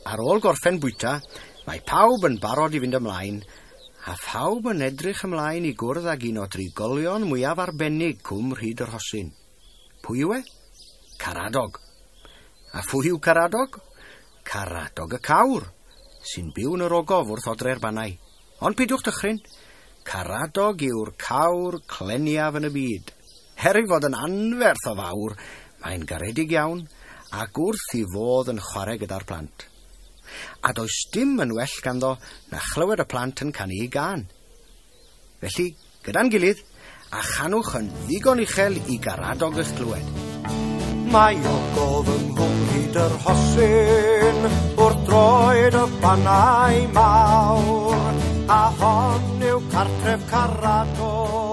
Ar ôl gorffen bwyta, mae pawb yn barod i fynd ymlaen, a phawb yn edrych ymlaen i gwrdd ag un o drigolion mwyaf arbennig Cwm Rhyd yr Rhosyn. Pwy yw e? Caradog. A phwy yw Caradog? Caradog y cawr, sy'n byw yn yr ogof wrth odre'r Bannau. Ond peidiwch dychryn, Caradog yw'r cawr cleniaf yn y byd. Er ei fod yn anferth o fawr, mae'n garedig iawn ac wrth i fodd yn chwarae gyda'r plant. A does dim yn well ganddo na chlywed y plant yn canu ei gân. Felly, gyda'n gilydd, a chanwch yn ddigon uchel i Garadog eich clywed. Mae ogof yng Nghwm Rhyd yr Rhosyn wrth droed y Bannau mawr, a hon yw cartref Caradog.